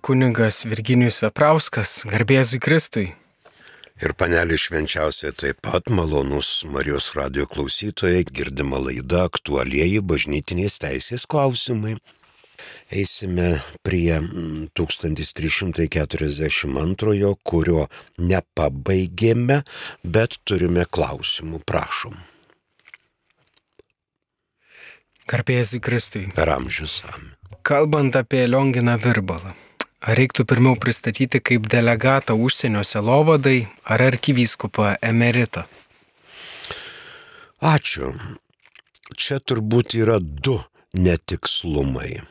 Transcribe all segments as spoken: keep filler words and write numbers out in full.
kunigas Virginijus Veprauskas, garbėzui Kristui. Ir panelė švenčiausia taip pat malonus Marijos radijo klausytojai, girdima laida aktualieji bažnytinės teisės klausimai. Eisime prie tūkstantis trys šimtai keturiasdešimt antrojo, kurio nepabaigėme, bet turime klausimų, prašom. Garbėzui Kristui. Per amžius amen. Kalbant apie Lionginą Virbalą, ar reiktų pirmiau pristatyti kaip delegatą užsienio sielovadai ar arkivyskupą emeritą? Ačiū. Čia turbūt yra du netikslumai.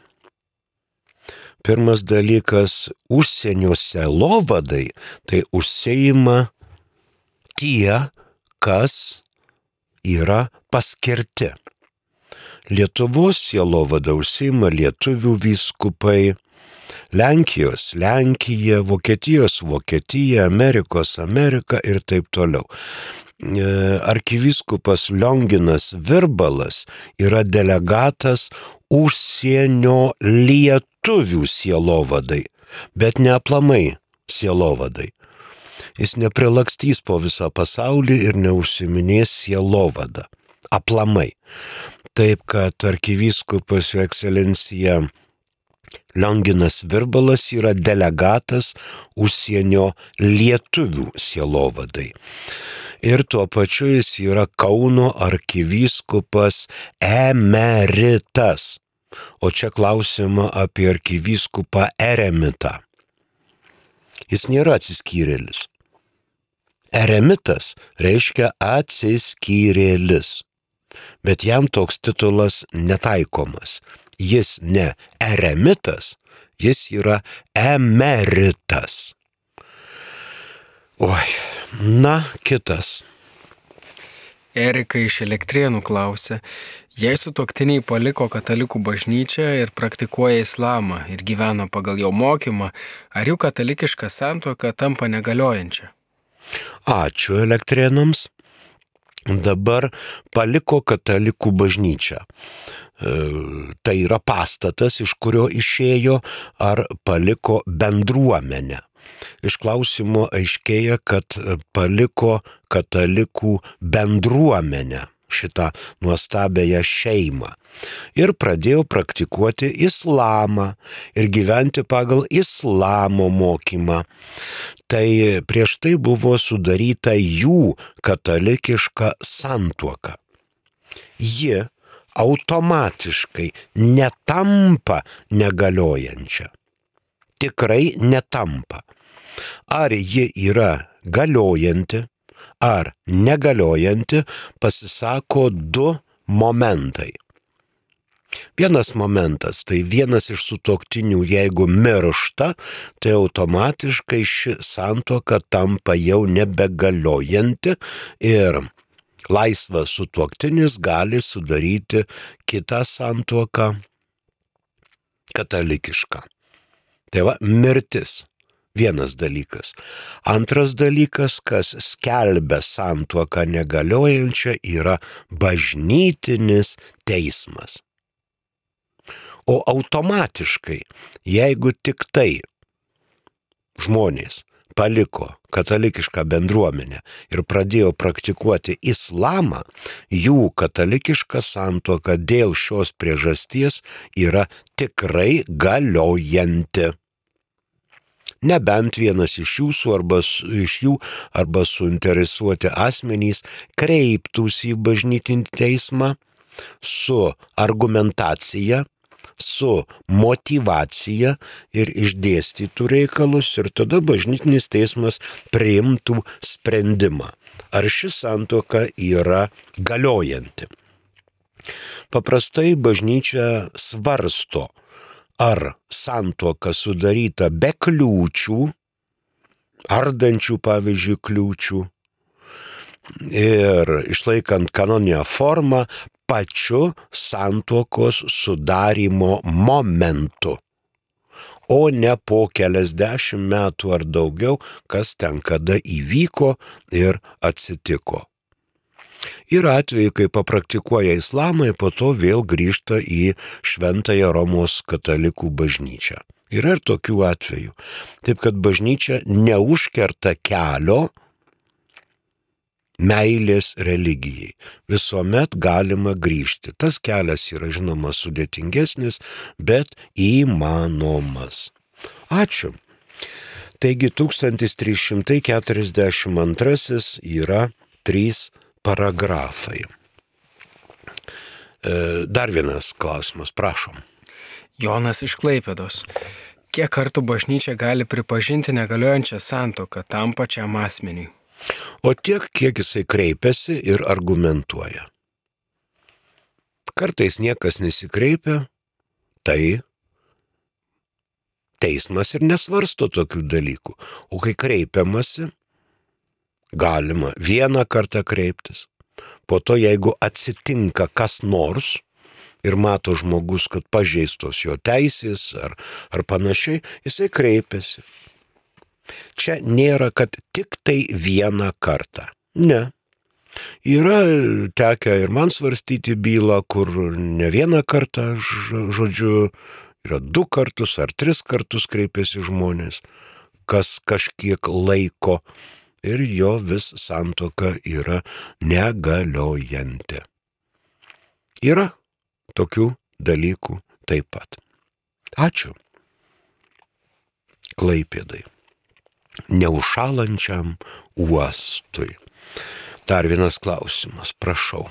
Pirmas dalykas, užsienio sielovadai tai užsiima tie, kas yra paskirti. Lietuvos sielovada užsiima lietuvių vyskupai, Lenkijos Lenkija, Vokietijos Vokietija, Amerikos Amerika ir taip toliau. Arkivyskupas Lionginas Virbalas yra delegatas užsienio lietuvių sielovadai, bet ne aplamai sielovadai. Jis neprilakstys po visą pasaulį ir neužsiminės sielovada. Aplamai. Taip, kad arkivyskupas jo ekscelencija Lionginas Virbalas yra delegatas užsienio lietuvių sielovadai. Ir tuo pačiu jis yra Kauno arkivyskupas emeritas. O čia klausima apie arkivyskupą eremitą. Jis nėra atsiskyrėlis. Eremitas reiškia atsiskyrėlis. Bet jam toks titulas netaikomas. Jis ne eremitas, jis yra emeritas. Oi, na, kitas. Erika iš Elektrėnų klausė, jei sutuoktiniai paliko katalikų bažnyčią ir praktikuoja islamą ir gyvena pagal jo mokymą, ar jų katalikiška santuoka tampa negaliojančia? Ačiū Elektrėnams. Dabar paliko katalikų bažnyčią. E, tai yra pastatas, iš kurio išėjo, ar paliko bendruomenę. Iš klausimo aiškėja, kad paliko katalikų bendruomenę, šitą nuostabėją šeimą. Ir pradėjo praktikuoti islamą ir gyventi pagal islamo mokymą. Tai prieš tai buvo sudaryta jų katalikiška santuoka. Ji automatiškai netampa negaliojančia. Tikrai netampa. Ar ji yra galiojanti, ar negaliojanti, pasisako du momentai. Vienas momentas, tai vienas iš sutuoktinių, jeigu miršta, tai automatiškai ši santuoka tampa jau nebegaliojanti ir laisvas sutuoktinis gali sudaryti kitą santuoką katalikišką. Tai va, mirtis. Vienas dalykas. Antras dalykas, kas skelbia santuoką negaliojančią, yra bažnytinis teismas. O automatiškai, jeigu tik tai žmonės paliko katalikišką bendruomenę ir pradėjo praktikuoti islamą, jų katalikiška santuoka dėl šios priežasties yra tikrai galiojanti. Nebent vienas iš jūsų arba iš jų arba suinteresuoti asmenys kreiptųsi į bažnytinį teismą su argumentacija, su motyvacija ir išdėstytų reikalus ir tada bažnytinis teismas priimtų sprendimą, ar ši santuoka yra galiojanti. Paprastai bažnyčia svarsto, ar santuoka sudaryta be kliūčių, ardančių pavyzdžiui kliūčių ir išlaikant kanoninę formą pačiu santuokos sudarymo momentu, o ne po keliasdešimt metų ar daugiau, kas ten kada įvyko ir atsitiko. Yra atvejai, kai papraktikuoja islamą ir po to vėl grįžta į šventąją Romos katalikų bažnyčią. Yra ir tokių atvejų. Taip kad bažnyčia neužkerta kelio meilės religijai. Visuomet galima grįžti. Tas kelias yra žinoma sudėtingesnis, bet įmanomas. Ačiū. Taigi tūkstantis trys šimtai keturiasdešimt antrasis yra trys paragrafai. Dar vienas klausimas, prašom. Jonas iš Klaipėdos. Kiek kartų bažnyčia gali pripažinti negaliojančią santuoką tam pačiam asmeniui? O tiek, kiek jisai kreipiasi ir argumentuoja. Kartais niekas nesikreipia, tai teismas ir nesvarsto tokių dalykų. O kai kreipiamasi, galima vieną kartą kreiptis. Po to, jeigu atsitinka kas nors ir mato žmogus, kad pažeistos jo teisės ar, ar panašiai, jisai kreipiasi. Čia nėra, kad tik tai vieną kartą. Ne. Yra tekę ir man svarstyti bylą, kur ne vieną kartą, žodžiu, yra du kartus ar tris kartus kreipiasi žmonės, kas kažkiek laiko ir jo vis santuoka yra negaliojanti. Yra tokių dalykų taip pat. Ačiū. Klaipėdai. Neužšalančiam uostui. Dar vienas klausimas, prašau.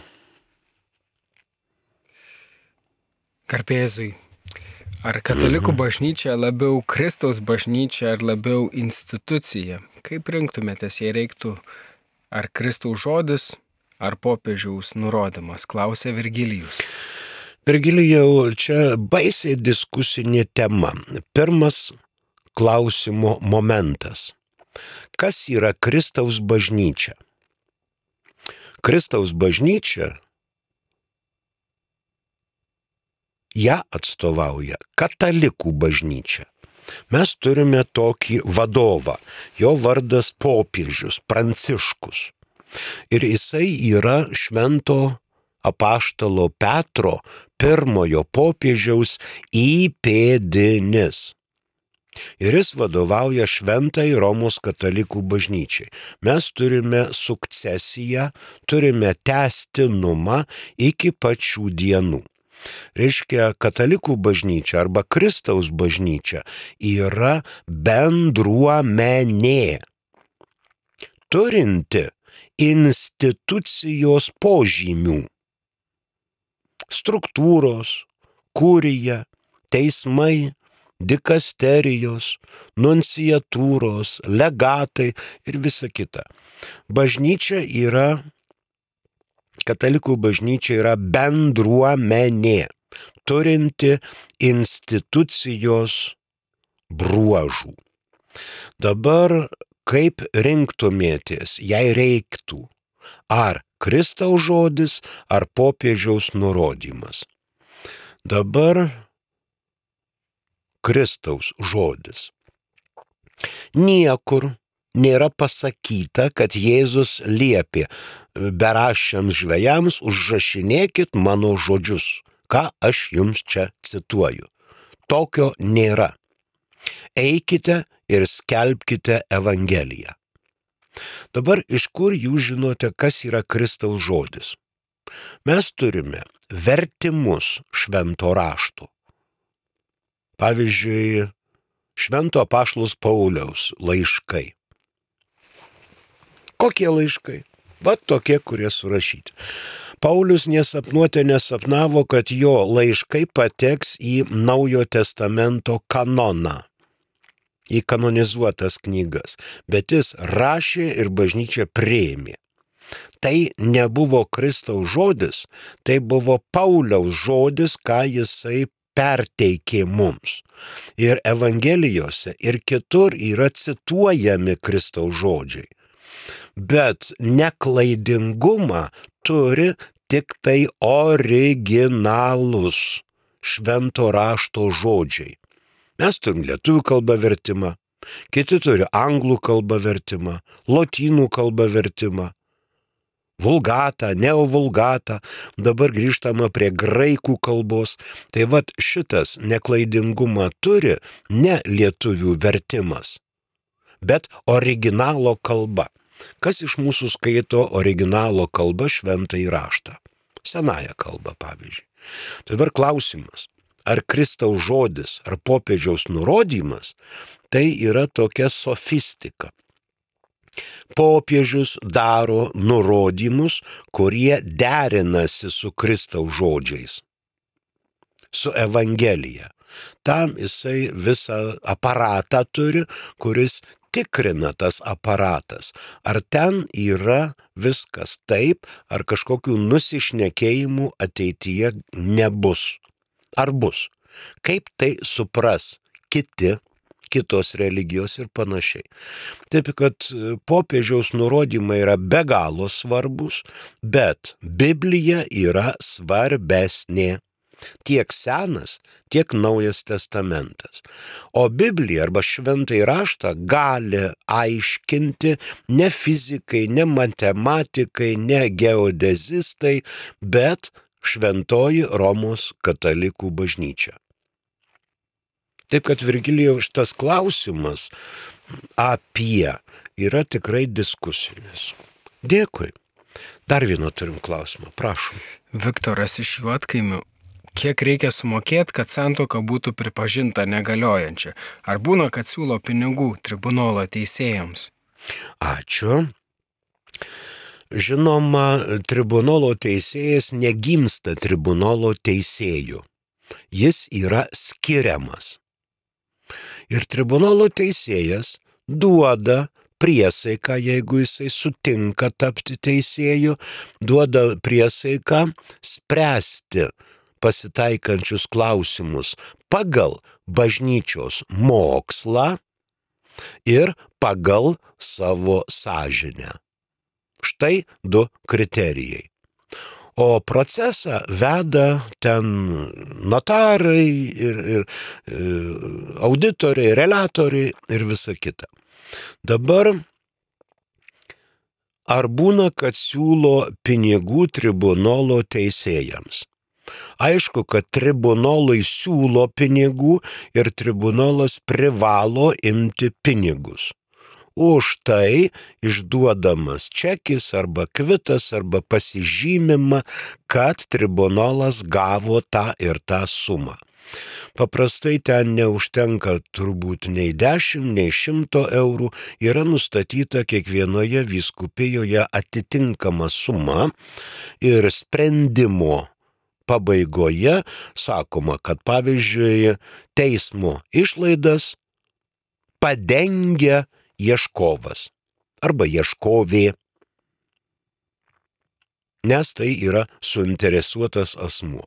Garbėzui. Ar katalikų bažnyčia labiau Kristaus bažnyčia ar labiau institucija? Kaip rinktumėtės, jei reiktų ar Kristaus žodis, ar popiežiaus nurodymas, klausė Virgilijus. Virgilijau, čia baisiai diskusinė tema. Pirmas klausimo momentas. Kas yra Kristaus bažnyčia? Kristaus bažnyčia ją atstovauja katalikų bažnyčia. Mes turime tokį vadovą, jo vardas popiežius Pranciškus. Ir jisai yra švento apaštalo Petro pirmojo popiežiaus įpėdinis. Ir jis vadovauja šventai Romos katalikų bažnyčiai. Mes turime sukcesiją, turime tęstinumą iki pačių dienų. Reiškia, katalikų bažnyčia arba Kristaus bažnyčia yra bendruomenė, turinti institucijos požymių. Struktūros, kurija, teismai, dikasterijos, nunciatūros, legatai ir visa kita. Bažnyčia yra Katalikų bažnyčia yra bendruomenė, turinti institucijos bruožų. Dabar kaip rinktumėtės, jei reiktų, ar Kristaus žodis, ar popiežiaus nurodymas? Dabar Kristaus žodis. Niekur nėra pasakyta, kad Jėzus liepė beraščiams žvejams užrašinėkit mano žodžius, ką aš jums čia cituoju. Tokio nėra. Eikite ir skelbkite Evangeliją. Dabar iš kur jūs žinote, kas yra Kristaus žodis? Mes turime vertimus švento rašto. Pavyzdžiui, švento apaštalo Pauliaus laiškai. Kokie laiškai? Va tokie, kurie surašyti. Paulius nesapnuotė nesapnavo, kad jo laiškai pateks į Naujo testamento kanoną, į kanonizuotas knygas, bet jis rašė ir bažnyčia priėmė. Tai nebuvo Kristaus žodis, tai buvo Pauliaus žodis, ką jisai perteikė mums. Ir Evangelijose ir kitur yra cituojami Kristaus žodžiai. Bet neklaidingumą turi tik tai originalus švento rašto žodžiai. Mes turim lietuvių kalbą vertimą, kiti turi anglų kalbą vertimą, lotynų kalbą vertimą, vulgatą, neovulgatą, dabar grįžtama prie graikų kalbos. Tai vat šitas neklaidingumą turi ne lietuvių vertimas, bet originalo kalba. Kas iš mūsų skaito originalo kalbą šventąjį raštą? Senąją kalbą, pavyzdžiui. Tai dabar klausimas, ar Kristaus žodis, ar popiežiaus nurodymas, tai yra tokia sofistika. Popiežius daro nurodymus, kurie derinasi su Kristaus žodžiais, su Evangelija. Tam jisai visą aparatą turi, kuris tikrina tas aparatas, ar ten yra viskas taip, ar kažkokių nusišnekėjimų ateityje nebus. Ar bus? Kaip tai supras kiti, kitos religijos ir panašiai. Taip, kad popiežiaus nurodymai yra be galo svarbus, bet Biblija yra svarbesnė. Tiek Senas, tiek Naujas testamentas. O Biblija arba šventąjį raštą gali aiškinti ne fizikai, ne matematikai, ne geodezistai, bet šventoji Romos katalikų bažnyčia. Taip, kad Virgilijaus šitas klausimas apie yra tikrai diskusinis. Dėkui. Dar vieną turim klausimą, prašom. Viktoras iš Juodkaimių. Kiek reikia sumokėti, kad santuoka būtų pripažinta negaliojančia? Ar būna, kad siūlo pinigų tribunolo teisėjams? Ačiū. Žinoma, tribunolo teisėjas negimsta tribunolo teisėjų. Jis yra skiriamas. Ir tribunolo teisėjas duoda priesaiką, jeigu jisai sutinka tapti teisėju, duoda priesaiką spręsti pasitaikančius klausimus pagal bažnyčios mokslą ir pagal savo sąžinę. Štai du kriterijai. O procesą veda ten notarai ir, ir, ir auditoriai, relatoriai ir visa kita. Dabar ar būna, kad siūlo pinigų tribunolo teisėjams? Aišku, kad tribunolai siūlo pinigų ir tribunolas privalo imti pinigus. Už tai išduodamas čekis arba kvitas arba pasižymima, kad tribunolas gavo tą ir tą sumą. Paprastai ten neužtenka turbūt nei dešimt, nei šimto eurų, yra nustatyta kiekvienoje vyskupijoje atitinkama suma ir sprendimo pabaigoje sakoma, kad pavyzdžiui teismo išlaidas padengia ieškovas arba ieškovė, nes tai yra suinteresuotas asmuo.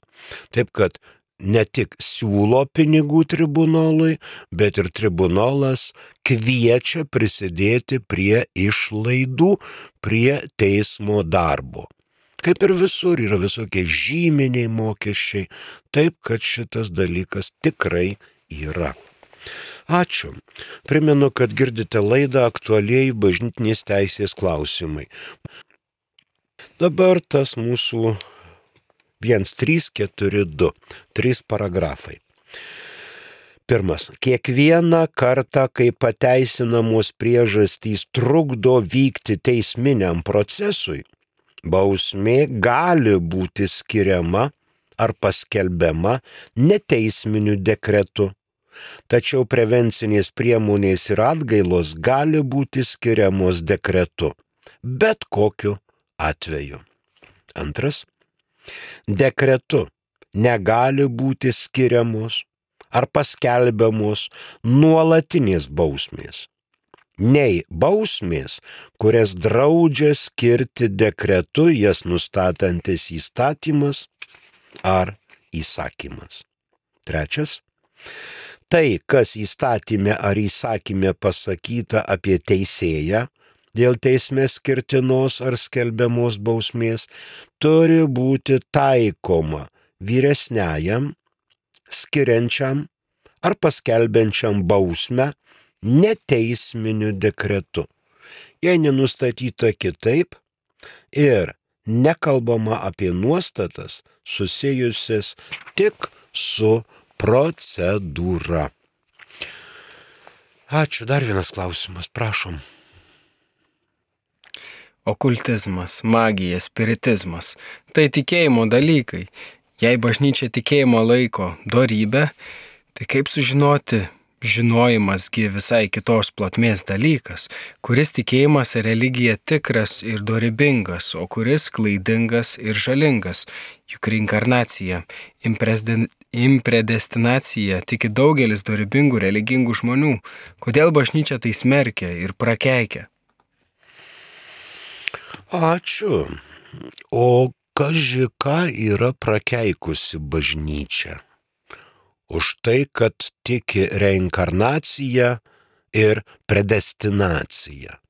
Taip, kad ne tik siūlo pinigų tribunolui, bet ir tribunolas kviečia prisidėti prie išlaidų, prie teismo darbo. Kaip ir visur yra visokie žyminiai mokesčiai, taip kad šitas dalykas tikrai yra. Ačiū. Primenu, kad girdite laidą Aktualieji bažnytinės teisės klausimai. Dabar tas mūsų vienas trys keturi du, trys paragrafai. Pirmas. Kiekvieną kartą, kai pateisinamos priežastys trukdo vykti teisminiam procesui, bausmė gali būti skiriama ar paskelbiama neteisminiu dekretu, tačiau prevencinės priemonės ir atgailos gali būti skiriamos dekretu, bet kokiu atveju. Antras. Dekretu negali būti skiriamos ar paskelbiamos nuolatinės bausmės, nei bausmės, kurias draudžia skirti dekretu jas nustatantis įstatymas ar įsakymas. Trečias. Tai, kas įstatyme ar įsakyme pasakyta apie teisėją dėl teisme skirtinos ar skelbiamos bausmės, turi būti taikoma vyresniajam, skiriančiam ar paskelbiančiam bausmę neteisminiu dekretu. Jei nenustatyta kitaip ir nekalbama apie nuostatas susijusias tik su procedūra. Ačiū, dar vienas klausimas, prašom. Okultizmas, magija, spiritizmas – tai tikėjimo dalykai. Jei bažnyčia tikėjimo laiko dorybę, tai kaip sužinoti? Žinojimasgi visai kitos plotmės dalykas, kuris tikėjimas ir religija tikras ir dorybingas, o kuris klaidingas ir žalingas. Juk reinkarnacija, impredestinacija tiki daugelis dorybingų religingų žmonių. Kodėl bažnyčia tai smerkia ir prakeikia? Ačiū. O kaži ką yra prakeikusi bažnyčia? Už tai, kad tiki reinkarnacija ir predestinacija.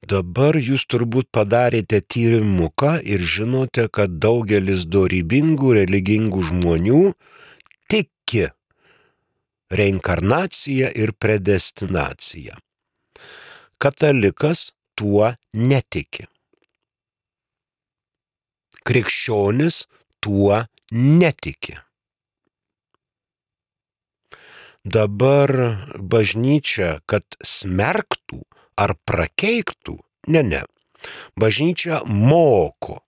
Dabar jūs turbūt padarėte tyrimuką ir žinote, kad daugelis dorybingų religingų žmonių tiki reinkarnacija ir predestinacija. Katalikas tuo netiki. Krikščionis tuo netiki. Dabar bažnyčia, kad smerktų ar prakeiktų, ne, ne. Bažnyčia moko,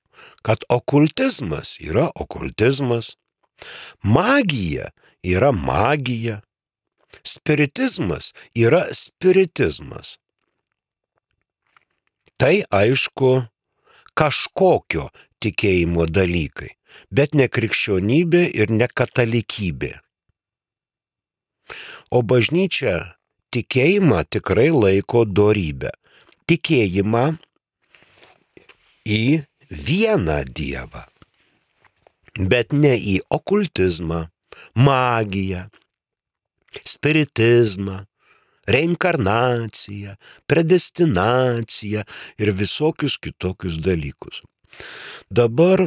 kad okultizmas yra okultizmas, magija yra magija, spiritizmas yra spiritizmas. Tai aišku kažkokio tikėjimo dalykai. Bet ne krikščionybė ir ne katalikybė. O bažnyčia tikėjimą tikrai laiko dorybę. Tikėjimą į vieną Dievą. Bet ne į okultizmą, magiją, spiritizmą, reinkarnaciją, predestinaciją ir visokius kitokius dalykus. Dabar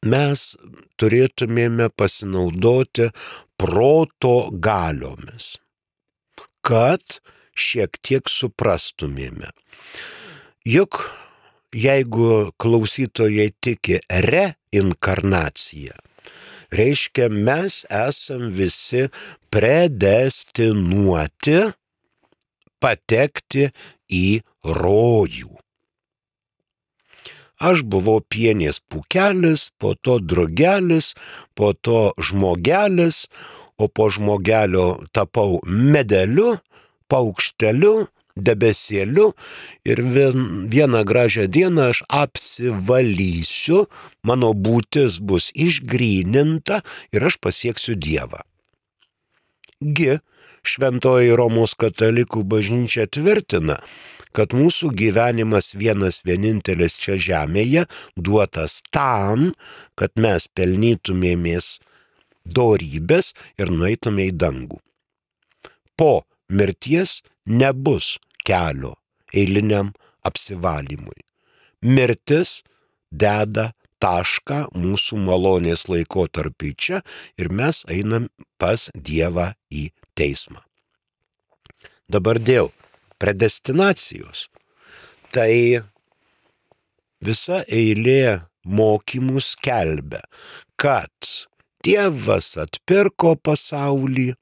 mes turėtumėme pasinaudoti proto galiomis, kad šiek tiek suprastumėme. Juk jeigu klausytojai tiki reinkarnaciją, reiškia mes esam visi predestinuoti patekti į rojų. Aš buvau pienės pūkelis, po to drugelis, po to žmogelis, o po žmogelio tapau medeliu, paukšteliu, debesėliu ir vien, vieną gražią dieną aš apsivalysiu, mano būtis bus išgryninta ir aš pasieksiu Dievą. Gi Šventoji Romos katalikų bažnyčia tvirtina, kad mūsų gyvenimas vienas vienintelis čia žemėje duotas tam, kad mes pelnytumėmės dorybės ir nueitume į dangų. Po mirties nebus kelio eiliniam apsivalymui. Mirtis deda tašką mūsų malonės laikotarpiui čia ir mes einam pas Dievą į teismą. Dabar dėl predestinacijos. Tai visa eilė mokymų skelbia, kad Dievas atpirko pasaulį,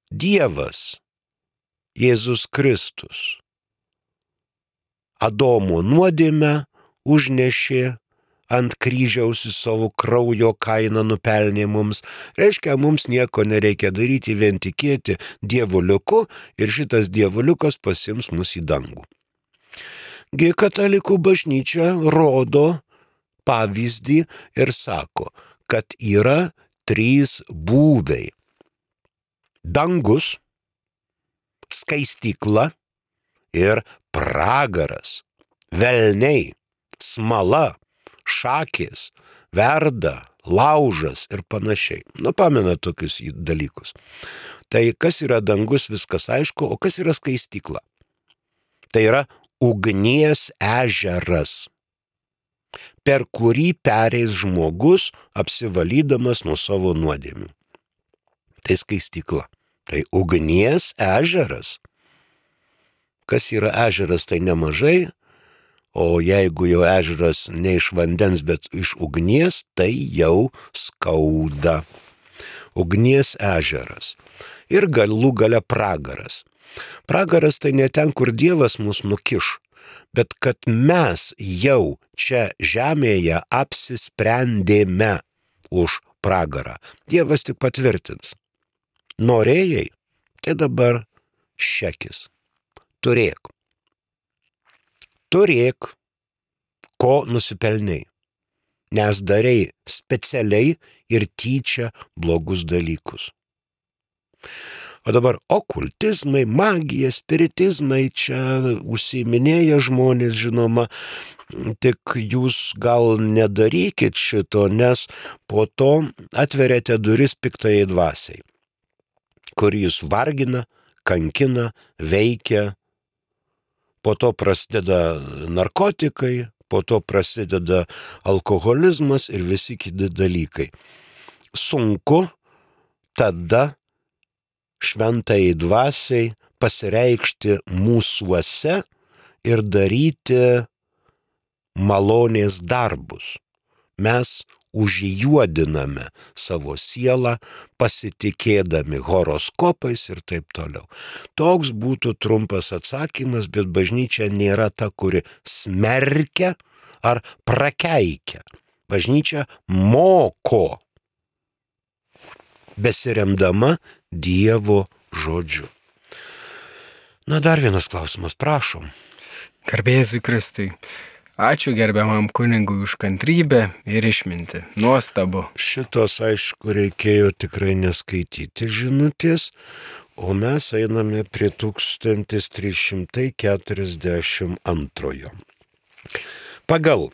Dievas, Jėzus Kristus, Adomo nuodėmę užnešė ant kryžiaus į savo kraujo kainą nupelnė mums. Reiškia, mums nieko nereikia daryti, vien tikėti dievuliuku ir šitas dievuliukas pasims mus į dangų. Gi katalikų bažnyčia rodo pavyzdį ir sako, kad yra trys būviai. Dangus, skaistykla ir pragaras. Velniai, smala, šakės, verda, laužas ir panašiai. Nu, pamena tokius dalykus. Tai kas yra dangus, viskas aišku, o kas yra skaistykla? Tai yra ugnies ežeras, per kurį pereis žmogus apsivalydamas nuo savo nuodėmių. Tai skaistykla. Tai ugnies ežeras. Kas yra ežeras, tai nemažai, o jeigu jau ežeras ne iš vandens, bet iš ugnies, tai jau skauda. Ugnies ežeras. Ir galų gale pragaras. Pragaras tai ne ten, kur Dievas mus nukiš, bet kad mes jau čia žemėje apsisprendėme už pragarą. Dievas tik patvirtins. Norėjai, tai dabar šekis. Turėk. Turėk, ko nusipelnei. Nes darei specialiai ir tyčia blogus dalykus. O dabar okultizmai, magija, spiritizmai čia užsiiminėja žmonės, žinoma, tik jūs gal nedarykit šito, nes po to atveriate duris piktajai dvasiai, kur jūs vargina, kankina, veikia, po to prasideda narkotikai, po to prasideda alkoholizmas ir visi kiti dalykai. Sunku tada šventai dvasiai pasireikšti mūsuose ir daryti malonės darbus. Mes užjuodiname savo sielą, pasitikėdami horoskopais ir taip toliau. Toks būtų trumpas atsakymas, bet bažnyčia nėra ta, kuri smerkia ar prakeikia. Bažnyčia moko, besiremdama Dievo žodžiu. Na, dar vienas klausimas, prašom. Garbė Jėzui Kristui. Ačiū gerbiamam kunigui už kantrybę ir išmintį. Nuostabu. Šitos, aišku, reikėjo tikrai neskaityti žinutės, o mes einame prie tūkstantis trys šimtai keturiasdešimt antrojo. Pagal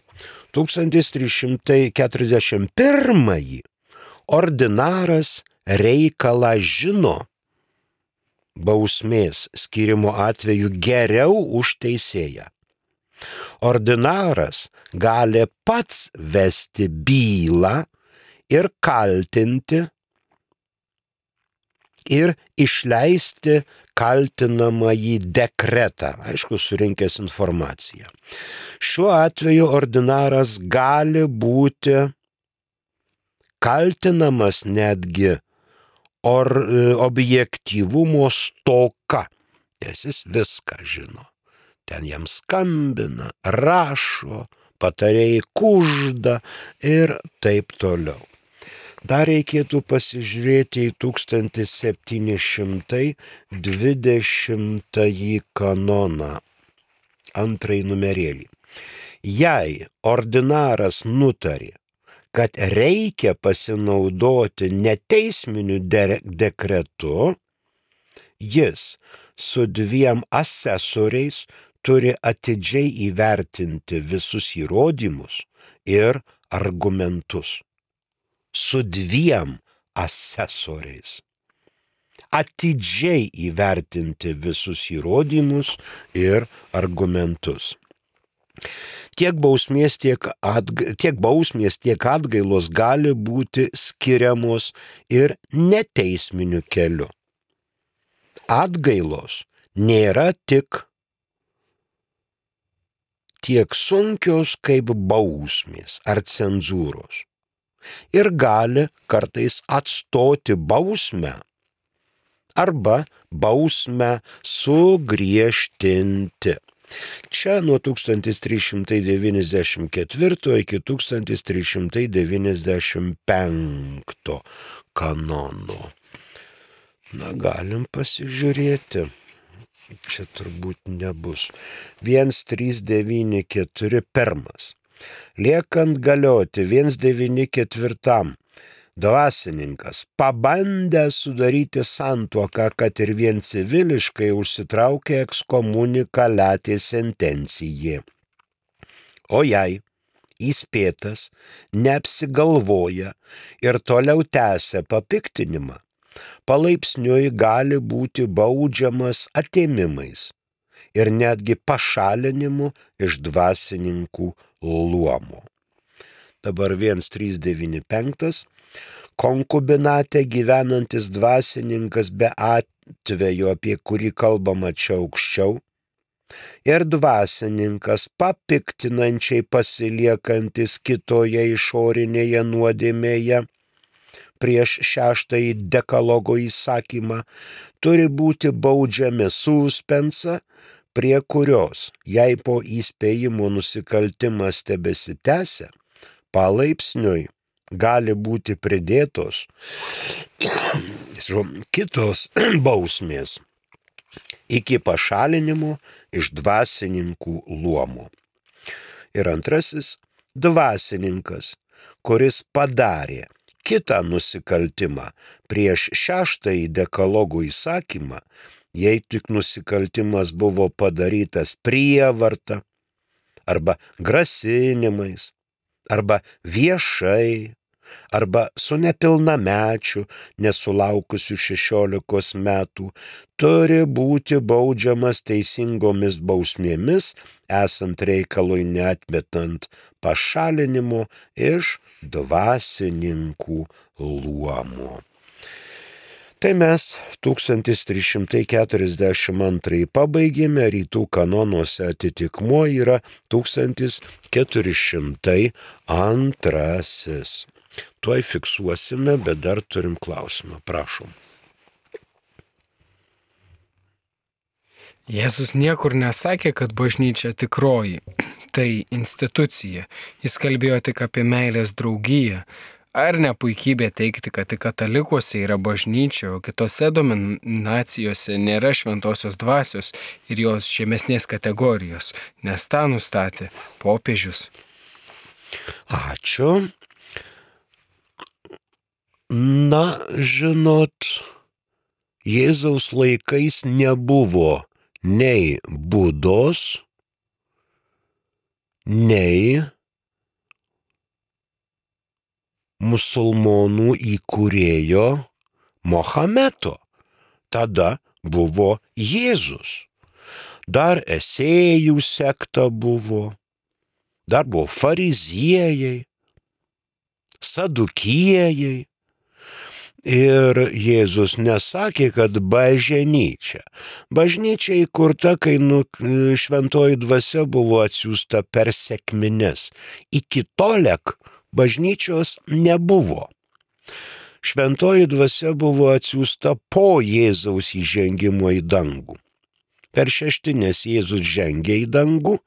tūkstantis trys šimtai keturiasdešimt pirmąjį ordinaras reikalą žino bausmės skyrimo atveju geriau už teisėją. Ordinaras gali pats vesti bylą ir kaltinti ir išleisti kaltinamąjį dekretą, aišku, surinkęs informaciją. Šiuo atveju ordinaras gali būti kaltinamas netgi or, objektyvumo stoka, nes jis viską žino. Ten jam skambina, rašo, patarėjai kužda ir taip toliau. Dar reikėtų pasižiūrėti į tūkstantis septyni šimtai dvidešimtąjį kanoną, antrąjį numerėlį. Jei ordinaras nutarė, kad reikia pasinaudoti neteisminiu de- dekretu, jis su dviem asesoriais turi atidžiai įvertinti visus įrodymus ir argumentus. Su dviem asesoriais. Atidžiai įvertinti visus įrodymus ir argumentus. Tiek bausmės, tiek, atga, tiek bausmės, tiek atgailos gali būti skiriamos ir neteisminiu keliu. Atgailos nėra tik tiek sunkios kaip bausmės ar cenzūros ir gali kartais atstoti bausmę arba bausmę sugriežtinti. Čia nuo tūkstantis trys šimtai devyniasdešimt ketvirto iki tūkstantis trys šimtai devyniasdešimt penkto kanono. Na, galim pasižiūrėti. Čia turbūt nebus. vienas trys devyni keturi pirmas. Liekant galioti vienas devyni ketvirtam. Dvasininkas pabandęs sudaryti santuoką, kad ir vien civiliškai užsitraukė ekskomunikaliatė sentencijai. O jei įspėtas neapsigalvoja ir toliau tęsia papiktinimą, palaipsniui gali būti baudžiamas atėmimais ir netgi pašalinimu iš dvasininkų luomo. Dabar vienas trys devyni penktas. Konkubinate gyvenantis dvasininkas be atvejo, apie kurį kalbama čia aukščiau, ir dvasininkas papiktinančiai pasiliekantis kitoje išorinėje nuodėmėje prieš šeštąjį dekalogo įsakymą turi būti baudžiami suspensa, prie kurios, jei po įspėjimo nusikaltimas tebesitęsia, palaipsniui gali būti pridėtos kitos bausmės iki pašalinimo iš dvasininkų luomo. Ir antrasis, dvasininkas, kuris padarė kitą nusikaltimą prieš šeštąjį dekalogo įsakymą, jei tik nusikaltimas buvo padarytas prievarta, arba grasinimais, arba viešai, arba su nepilnamečiu, nesulaukusiu šešiolikos metų, turi būti baudžiamas teisingomis bausmėmis, esant reikalui neatmetant pašalinimo iš dvasininkų luomo. Tai mes tūkstantis trys šimtai keturiasdešimt antrąjį pabaigėme, rytų kanonuose atitikmuo yra tūkstantis keturi šimtai antrasis. Tuoj fiksuosime, bet dar turim klausimą. Prašom. Jėzus niekur nesakė, kad bažnyčia tikroji, tai institucija. Jis kalbėjo tik apie meilės draugiją. Ar ne puikybė teikti, kad tik katalikuose yra bažnyčia, o kitose dominacijose nėra šventosios dvasios ir jos žemesnės kategorijos, nes tą nustatė popiežius. Ačiū. Na, žinot, Jėzaus laikais nebuvo nei Budos, nei musulmonų įkūrėjo Mohameto. Tada buvo Jėzus. Dar esėjų sekta buvo, dar buvo fariziejai, sadukiejai. Ir Jėzus nesakė, kad bažnyčia. Bažnyčia įkurta, kai nu, šventoji dvasia buvo atsiųsta per sekmines. Iki tolek bažnyčios nebuvo. Šventoji dvasia buvo atsiųsta po Jėzaus įžengimo į dangų. Per šeštinės Jėzus žengė į dangų,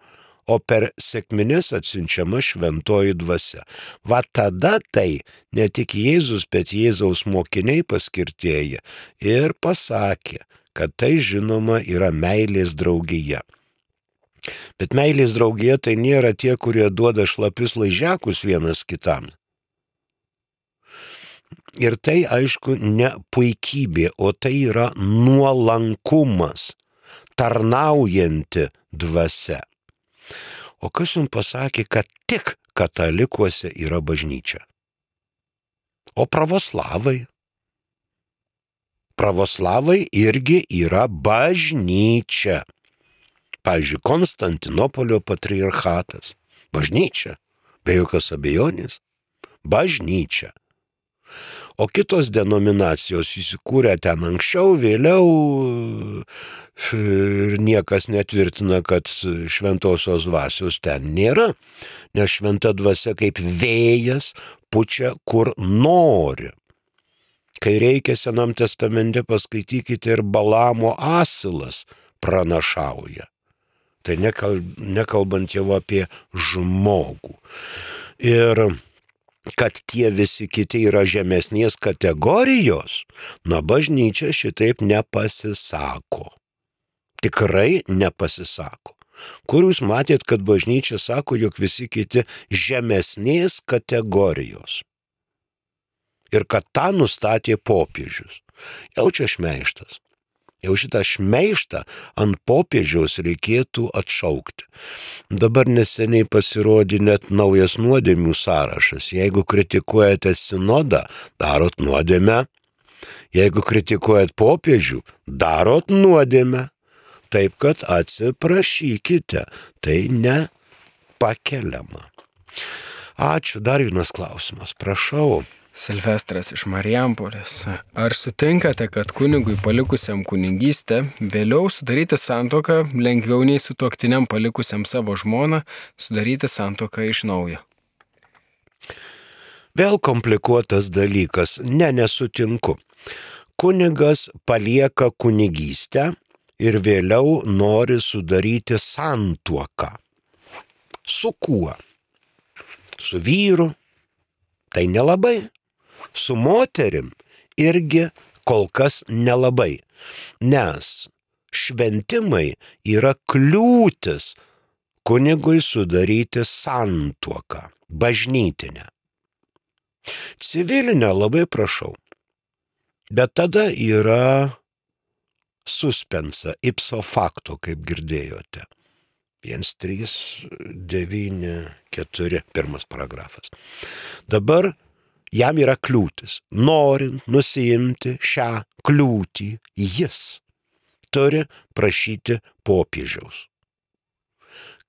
o per sekmines atsiunčiama šventoji dvasia. Va tada tai ne tik Jėzus, bet Jėzaus mokiniai paskirtieji ir pasakė, kad tai žinoma yra meilės draugija. Bet meilės draugija tai nėra tie, kurie duoda šlapius laižiakus vienas kitam. Ir tai, aišku, ne puikybė, o tai yra nuolankumas, tarnaujanti dvasia. O kas jums pasakė, kad tik katalikuose yra bažnyčia? O pravoslavai? Pravoslavai irgi yra bažnyčia. Pavyzdžiui, Konstantinopolio patriarchatas. Bažnyčia. Be jokios abejonės. Bažnyčia. O kitos denominacijos įsikūrė ten anksčiau, vėliau ir niekas netvirtina, kad šventosios dvasios ten nėra, nes šventa dvasia kaip vėjas pučia kur nori. Kai reikia Senam testamente, paskaitykite, ir Balamo asilas pranašauja. Tai nekalbant jau apie žmogų. Ir kad tie visi kiti yra žemesnės kategorijos, na, bažnyčia šitaip nepasisako. Tikrai nepasisako. Kur jūs matėt, kad bažnyčia sako, jog visi kiti žemesnės kategorijos? Ir kad tą nustatė popiežius. Jau čia šmeižtas. Jau šitą šmeižtą ant popiežiaus reikėtų atšaukti. Dabar neseniai pasirodė net naujas nuodėmių sąrašas. Jeigu kritikuojate sinodą, darot nuodėmę. Jeigu kritikuojat popiežių, darot nuodėmę. Taip, kad atsiprašykite. Tai nepakeliama. Ačiū. Dar vienas klausimas. Prašau. Silvestras iš Marijampolės. Ar sutinkate, kad kunigui palikusiam kunigystę vėliau sudaryti santuoką lengviau nei sutuoktiniam palikusiam savo žmoną sudaryti santuoką iš naujo? Vėl komplikuotas dalykas. Ne, nesutinku. Kunigas palieka kunigystę ir vėliau nori sudaryti santuoką. Su kuo? Su vyru? Tai nelabai. Su moterim irgi kol kas nelabai. Nes šventimai yra kliūtis kunigui sudaryti santuoką, bažnytinę. Civilinę labai prašau. Bet tada yra suspensa, ipso facto, kaip girdėjote. vienas, trys, devyni, keturi, pirmas paragrafas. Dabar jam yra kliūtis. Norint nusiimti šią kliūtį, jis turi prašyti popiežiaus,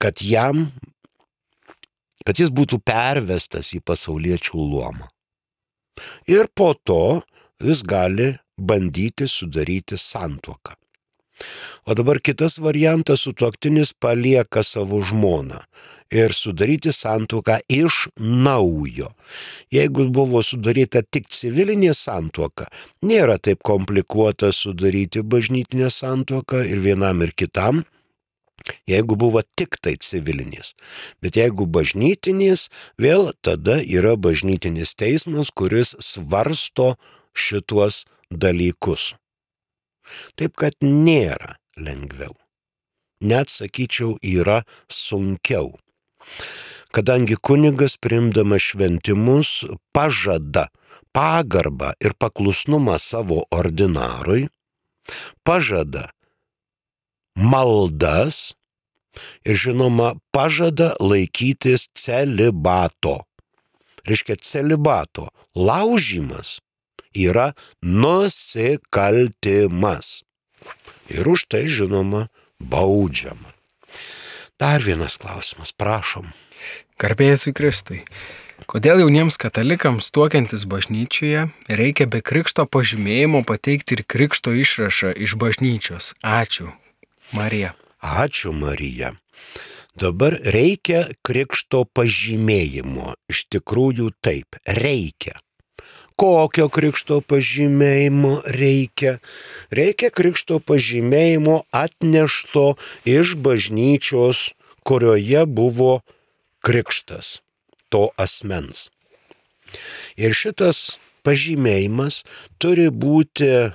kad jam, kad jis būtų pervestas į pasauliečių luomą. Ir po to jis gali bandyti sudaryti santuoką. O dabar kitas variantas, sutuoktinis palieka savo žmoną ir sudaryti santuoką iš naujo. Jeigu buvo sudaryta tik civilinė santuoka, nėra taip komplikuota sudaryti bažnytinę santuoką ir vienam ir kitam, jeigu buvo tik tai civilinės. Bet jeigu bažnytinės, vėl tada yra bažnytinis teismas, kuris svarsto šituos dalykus. Taip kad nėra lengviau. Net sakyčiau, yra sunkiau. Kadangi kunigas priimdamas šventimus pažada pagarbą ir paklusnumą savo ordinarui, pažada maldas ir žinoma pažada laikytis celibato. Reiškia, celibato laužymas yra nusikaltimas. Ir už tai, žinoma, baudžiama. Dar vienas klausimas, prašom. Garbė Jėzui Kristui. Kodėl jauniems katalikams tuokiantis bažnyčioje reikia be krikšto pažymėjimo pateikti ir krikšto išrašą iš bažnyčios? Ačiū, Marija. Ačiū, Marija. Dabar reikia krikšto pažymėjimo. Iš tikrųjų taip, reikia. Kokio krikšto pažymėjimo reikia? Reikia krikšto pažymėjimo atnešto iš bažnyčios, kurioje buvo krikštas to asmens. Ir šitas pažymėjimas turi būti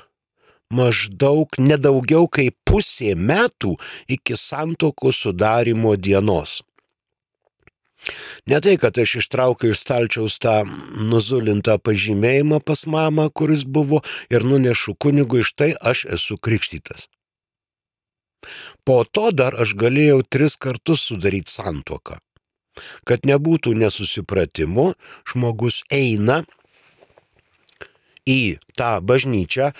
maždaug nedaugiau kaip pusė metų iki santuokos sudarimo dienos. Ne tai, kad aš ištraukiau iš stalčiaus tą nuzulintą pažymėjimą pas mamą, kuris buvo, ir nunešu kunigui, štai aš esu krikštytas. Po to dar aš galėjau tris kartus sudaryti santuoką. Kad nebūtų nesusipratimo, žmogus eina į tą bažnyčią,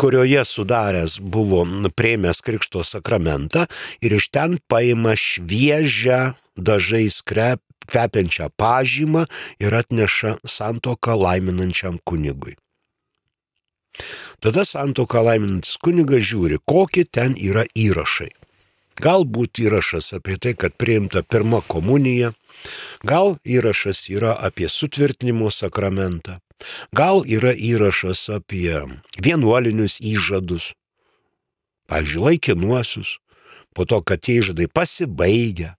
kurioje sudaręs buvo priėmęs krikšto sakramentą ir iš ten paima šviežią dažais kvepiančią pažymą ir atneša santuoką laiminančiam kunigui. Tada santuoką laiminantis kunigas žiūri, kokie ten yra įrašai. Galbūt įrašas apie tai, kad priimta pirma komunija, gal įrašas yra apie sutvirtinimo sakramentą, gal yra įrašas apie vienuolinius įžadus, pavyzdžiui, laikinuosius, po to, kad tie įžadai pasibaigia.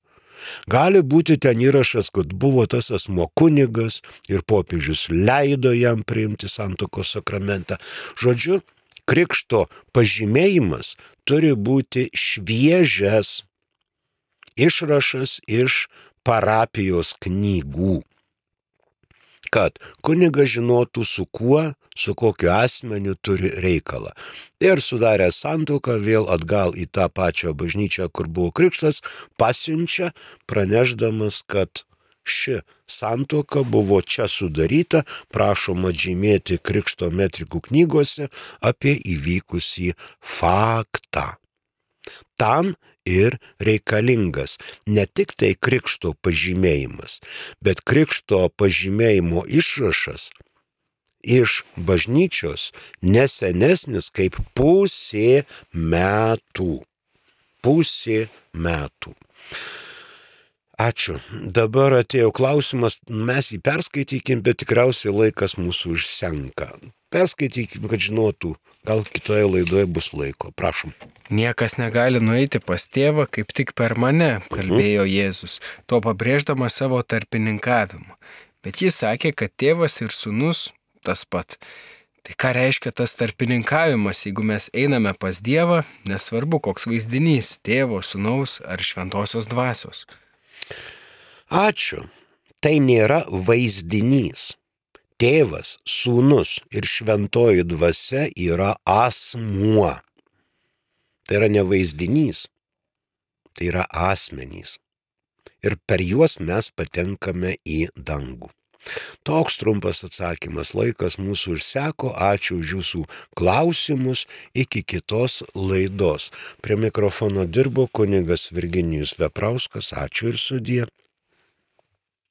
Gali būti ten įrašas, kad buvo tas asmuo kunigas ir popiežius leido jam priimti santuokos sakramentą. Žodžiu, krikšto pažymėjimas turi būti šviežias išrašas iš parapijos knygų, kad kunigas žinotų, su kuo, su kokiu asmeniu turi reikalą. Ir sudarę santuoką vėl atgal į tą pačią bažnyčią, kur buvo krikštas, pasiunčia, pranešdamas, kad ši santuoka buvo čia sudaryta, prašoma žymėti krikšto metrikų knygose apie įvykusį faktą. Tam ir reikalingas. Ne tik tai krikšto pažymėjimas, bet krikšto pažymėjimo išrašas iš bažnyčios nesenesnis kaip pusė metų. Pusė metų. Ačiū. Dabar atėjo klausimas, mes jį perskaitykim, bet tikriausiai laikas mūsų užsenka. Perskaitykim, kad žinotų, gal kitoje laidoje bus laiko. Prašom. Niekas negali nueiti pas tėvą, kaip tik per mane, kalbėjo Jėzus, tuo pabrėždamas savo tarpininkavimą. Bet jis sakė, kad tėvas ir sūnus tas pat. Tai ką reiškia tas tarpininkavimas, jeigu mes einame pas Dievą, nesvarbu koks vaizdinys, tėvo, sūnaus ar šventosios dvasios? Ačiū. Tai nėra vaizdinys. Tėvas, sūnus ir šventoji dvasia yra asmuo. Tai yra ne vaizdinys, tai yra asmenys. Ir per juos mes patenkame į dangų. Toks trumpas atsakymas, laikas mūsų išseko, ačiū už jūsų klausimus, iki kitos laidos. Prie mikrofono dirbo kunigas Virginijus Veprauskas, ačiū ir sudie.